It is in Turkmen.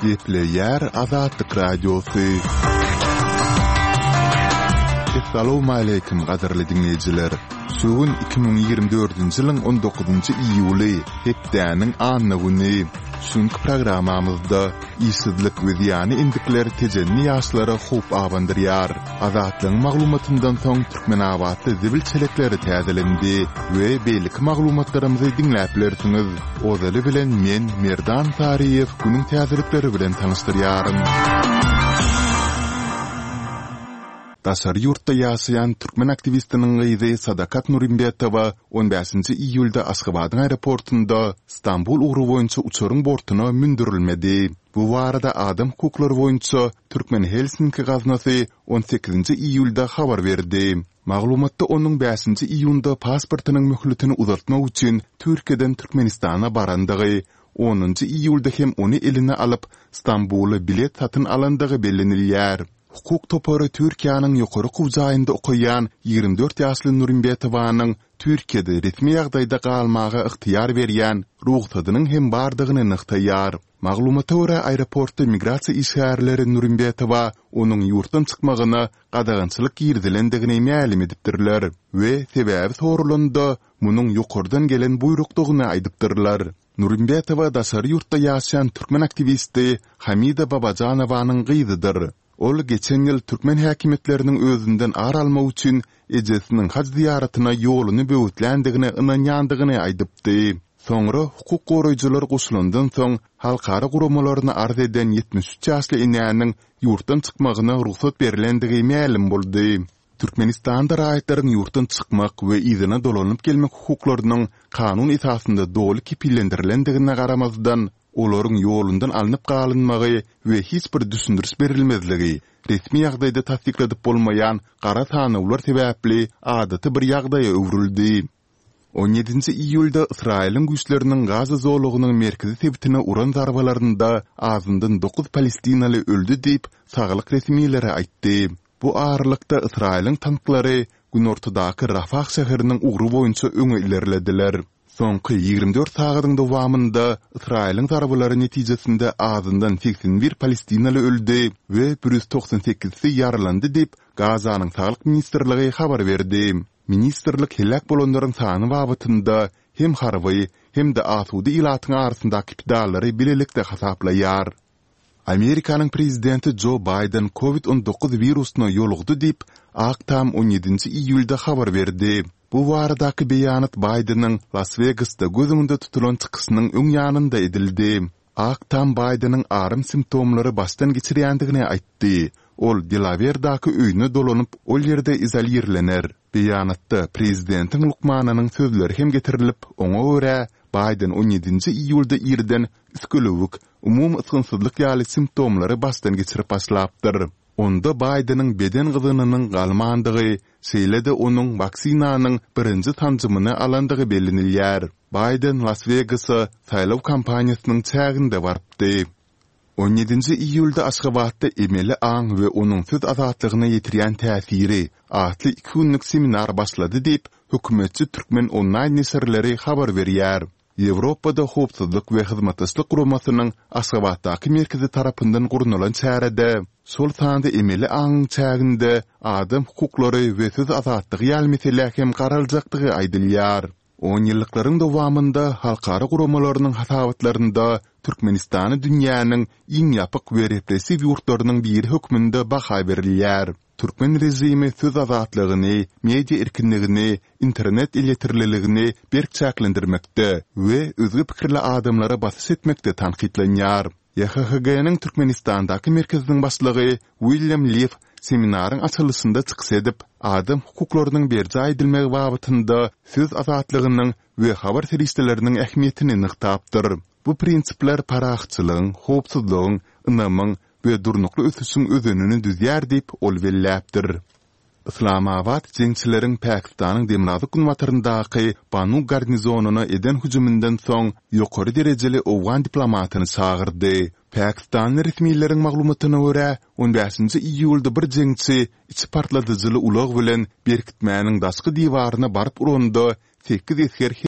Gepleýär Azatlyk Radiosy. Essalawmaleýkim gadyrly diňleýjiler! Şu gün 2024-nji ýylyň 19-njy iýuly, hepdäniň anna güni. Şu günki programmamyzda işsizlik we zyýanly endikler tejenli ýaşlara howp abandyrýar. Azatlygyň maglumatyndan soň Türkmenabatda zibil çelekleri täzelendi we beýleki maglumatlarymyzy diňläp bilersiňiz. Ozaly bilen men, Merdan Saryýew günüň täzelikleri bilen tanyşdyrýaryn. Daşary ýurtda ýaşaýan türkmen aktiwistiniň gyzy Sadakat Nurymbetowa on bäşinji iýulda Aşgabadyň aeroportunda Stambul ugry boýunça uçaryň bortuna mündürilmedi. Bu barada adam hukuklary boýunça Türkmen Helsinki gaznasy on sekizinji iýulda habar berdi. Maglumatda onuň bäşinji iýunda pasportynyň möhletini uzaltmak üçin Türkiýeden Türkmenistana barandygy, onunjy iýulda hem ony eline alyp, Stambula bilet satyn alandygy bellenilýär. Hukuk topary Türkiýäniň ýokary okuw jaýynda okaýan 24 ýaşly Nurimbetowanyň Türkiýede resmi ýagdaýda galmaga ygtyýar berýän rugsadynyň hem bardygyny nygtaýar. Maglumata görä, aeroportda migrasiýa işgärleri Nurimbetowa onuň ýurtdan çykmagyna gadagançylyk girizilendigini mälim edipdirler we sebäbi soralanda, munuň ýokardan gelen buýrukdygyny aýdypdyrlar. Nurimbetowa daşary ýurtda ýaşaýan türkmen aktiwisti Hamida Babajanowanyň gyzydyr. Ol geçen ýyl türkmen häkimiýetleriniň özünden ar almak üçin ejesiniň haj zyýaratyna ýoluny böwetländigine ynanýandygyny aýdypdy. Soňra hukuk goraýjylar goşulandan soň halkara guramalaryna arz eden 73 ýaşly enäniň ýurtdan çykmagyna rugsat berlendigi mälim boldy. Türkmenistanda raýatlaryň ýurtdan çykmak we yzyna dolanyp gelmek hukuklarynyň kanun esasynda doly kepillendirilendigine garamazdan, olaryň ýolundan alnyp galynmagy we hiç bir düşündiriş berilmezligi, resmi ýagdaýda tassykladyp bolmaýan gara sanawlar sebäpli adaty bir ýagdaýa öwrüldi. On ýedinji iýulda Ysraýylyň güýçleriniň Gaza zolagynyň merkezi sebitine uran zarbalarynda azyndan dokuz palestinaly öldi diýip, saglyk resmileri aýtdy. Bu aralykda, Ysraýylyň tanklary günortadaky Rafah şäheriniň ugry boýunça öňe ilerlediler. Soňky 24 sagadyň dowamynda Ysraýylyň zarbalary netijesinde azyndan 81 palestinaly öldi we 198-si ýaralandy diýip, Gazanyň Saglyk ministrligi habar berdi. Ministrlik heläk bolanlaryň sany babatynda hem harby, hem-de asuda ilatyň arasyndaky pidalary bilelikde hasaplaýar. Amerikanyň prezidenti Jo Baýden Covid 19 wirusyna ýolugdy diýip, Ak Tam on ýedinji iýulda habar berdi. Bu baradaky beýanat Baýdeniň Las-Wegasda göz öňünde tutulan çykyşynyň öň ýanynda edildi. Ak Tam Baýdeniň aram simptomlary başdan geçirýändigini aýtdy. Ol Delawerdaky öýüne dolanyp, ol ýerde izolirlener. Beýanatda prezidentiň lukmanynyň sözleri hem getirilip, oňa görä, Baýden on ýedinji iýulda irden üsgülewük, umumy ysgynsyzlyk ýaly simptomlary başdan geçirip başlapdyr. Onda Baýdeniň beden gyzgynynyň galmandygy, şeýle-de onuň waksinanyň birinji sanjymyny alandygy bellenilýär. Baýden Las-Wegasa saýlaw kampaniýasynyň çäginde barypdy. On ýedinji iýulda Aşgabatda Emeli aň we onuň söz azatlygyna ýetirýän täsiri atly iki günlük seminar başlady diýip, hökümetçi Türkmen onlaýn neşirleri habar berýär. Ýewropada Howpsuzlyk we Hyzmatdaşlyk Guramasynyň Aşgabatdaky merkezi tarapyndan gurnalan çärede, şol sanda emeli aňyň çäginde adam hukuklary we söz azatlygy ýaly meselä hem garaljakdygy aýdylýar. Onýyllyklaryň dowamynda halkara guramalarynyň hasabatlarynda Türkmenistana dünýäniň iň ýapyk we repressiw ýurtlarynyň biri hökmünde baha berilýär. Türkmen režimi söz azatlygyny, media erkinligini, internet elýeterliligini berk çäklendirmekde we özge pikirli adamlara basyş etmekde tankytlanýar. YHHG-niň Türkmenistandaky merkeziniň başlygy William Lif seminaryň açylyşynda çykyş edip, adam hukuklarynyň berjaý edilmegi babatynda söz azatlygynyň we habar serişdeleriniň ähmiýetini nygtapdyr. Bu prinsipler parahatçylygyň, howpsuzlygyň, ynamyň we durnukly ösüşiň özenini düzýär diýip, ol belläpdir. Yslamabat jeňçileriň Pakistanyň demirgazyk-günbataryndaky Banu garnizonyna eden hüjüminden soň ýokary derejeli owgan diplomatyny çagyrdy. Pakistanly resmileriň maglumatyna görä, on bäşinji iýulda bir jeňçi içi partladyjyly ulag bilen berkitmäniň daşky diwaryna baryp uranda, sekiz esger.